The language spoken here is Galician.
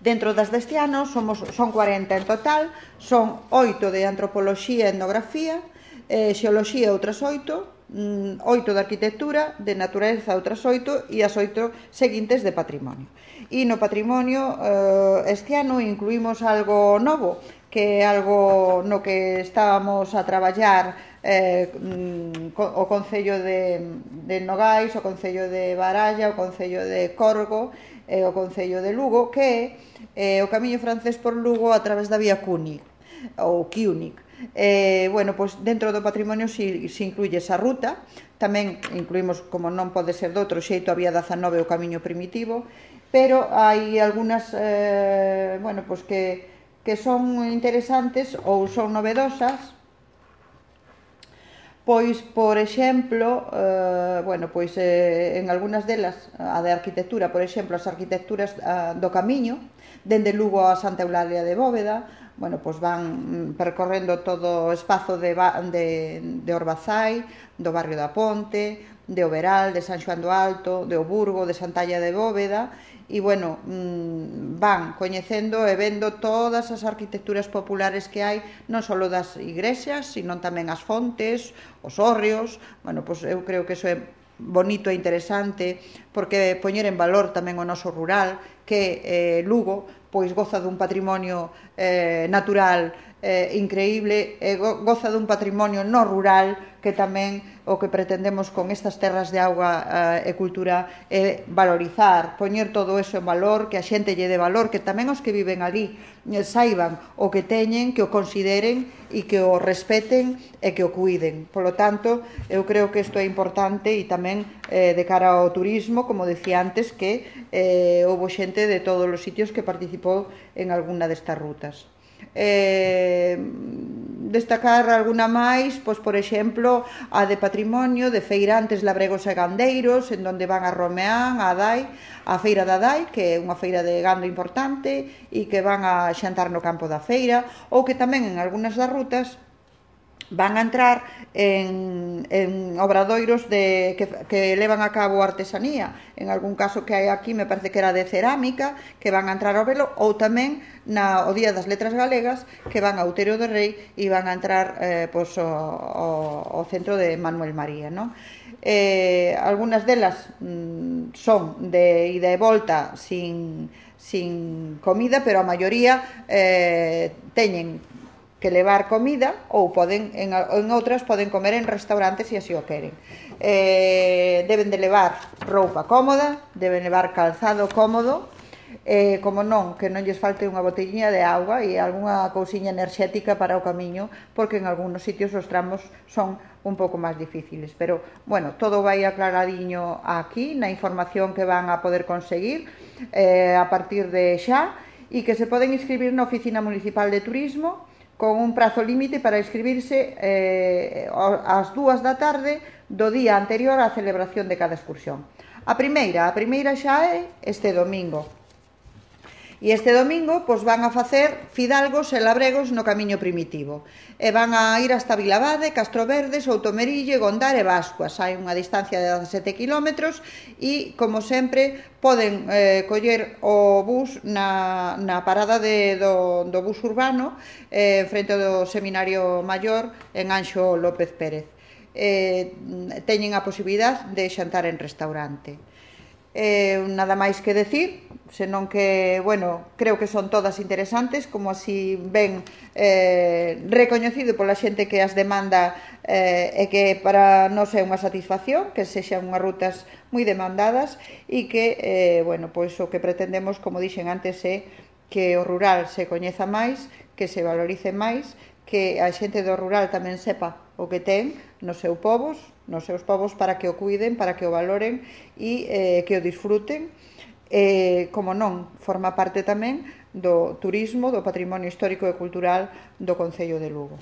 Dentro das deste ano son 40 en total, son 8 de antropoloxía e etnografía, xeoloxía outras 8, 8 de arquitectura, de natureza outras 8 e as 8 seguintes de patrimonio. E no patrimonio este ano incluímos algo novo, que é algo no que estábamos a traballar o Concello de Nogais, o Concello de Baralla, o Concello de Corgo e o Concello de Lugo, que é o camiño francés por Lugo a través da vía Cúnic, ou Quiunic. Bueno, pois dentro do patrimonio se incluye esa ruta. Tamén incluímos, como non pode ser de outro xeito, a vía 19, o camiño primitivo, pero hai algunhas bueno, pois que son interesantes ou son novedosas. Pois, por exemplo, bueno, pois en algunhas delas, a de arquitectura, por exemplo, as arquitecturas do camiño, dende Lugo a Santa Eulalia de Bóveda, bueno, pois van percorrendo todo o espazo de Orbazai, do barrio da Ponte, de Oberal, de San Xoán do Alto, de Oburgo, de Santalla de Bóveda, e, bueno, van coñecendo e vendo todas as arquitecturas populares que hai, non só das igrexas, sino tamén as fontes, os hórreos. Bueno, pois eu creo que iso é bonito e interesante, porque poñer en valor tamén o noso rural, que Lugo pois goza dun patrimonio natural increíble, goza dun patrimonio no rural, que tamén o que pretendemos con estas terras de auga e cultura é valorizar, poñer todo eso en valor, que a xente lle dé valor, que tamén os que viven ali saiban o que teñen, que o consideren e que o respeten e que o cuiden. Polo tanto, eu creo que isto é importante e tamén de cara ao turismo, como decía antes, que houve xente de todos os sitios que participou en alguna destas rutas. Destacar alguna máis, pois, por exemplo, a de patrimonio, de feirantes, labregos e gandeiros, en donde van a Romeán, a Adai, a feira da Adai, que é unha feira de gando importante, e que van a xantar no campo da feira, ou que tamén en algunhas das rutas van a entrar en obradoiros que levan a cabo artesanía. En algún caso que hai aquí, me parece que era de cerámica, que van a entrar ao velo, ou tamén o Día das Letras Galegas, que van a Outeiro do Rei e van a entrar pois, ao centro de Manuel María, non? Algunhas delas son de ida e volta sin comida, pero a maioría teñen que levar comida, ou poden en outras poden comer en restaurantes se así o queren. Deben de levar roupa cómoda, deben levar calzado cómodo, como non, que non lles falte unha botelliña de auga e algunha cousiña enerxética para o camiño, porque en algúns sitios os tramos son un pouco máis difíciles, pero, bueno, todo vai aclaradiño aquí na información que van a poder conseguir a partir de xa, e que se poden inscribir na Oficina Municipal de Turismo con un prazo límite para inscribirse ás 2 da tarde do día anterior á celebración de cada excursión. A primeira xa é este domingo. E este domingo pois, van a facer fidalgos e labregos no camiño primitivo. E van a ir hasta Vilabade, Castroverde, Soutomerille, Gondar e Bascuas. Hai unha distancia de 17 km e, como sempre, poden coller o bus na parada do bus urbano frente do Seminario Maior en Anxo López Pérez. Teñen a posibilidade de xantar en restaurante. Nada máis que decir, senón que, bueno, creo que son todas interesantes, como así ben recoñecido pola xente que as demanda e que para nós é unha satisfacción que sexan unhas rutas moi demandadas e que, bueno, pois o que pretendemos, como dixen antes, é que o rural se coñeza máis, que se valorice máis, que a xente do rural tamén sepa o que ten nos seus povos para que o cuiden, para que o valoren e que o disfruten. Como non, forma parte tamén do turismo, do patrimonio histórico e cultural do Concello de Lugo.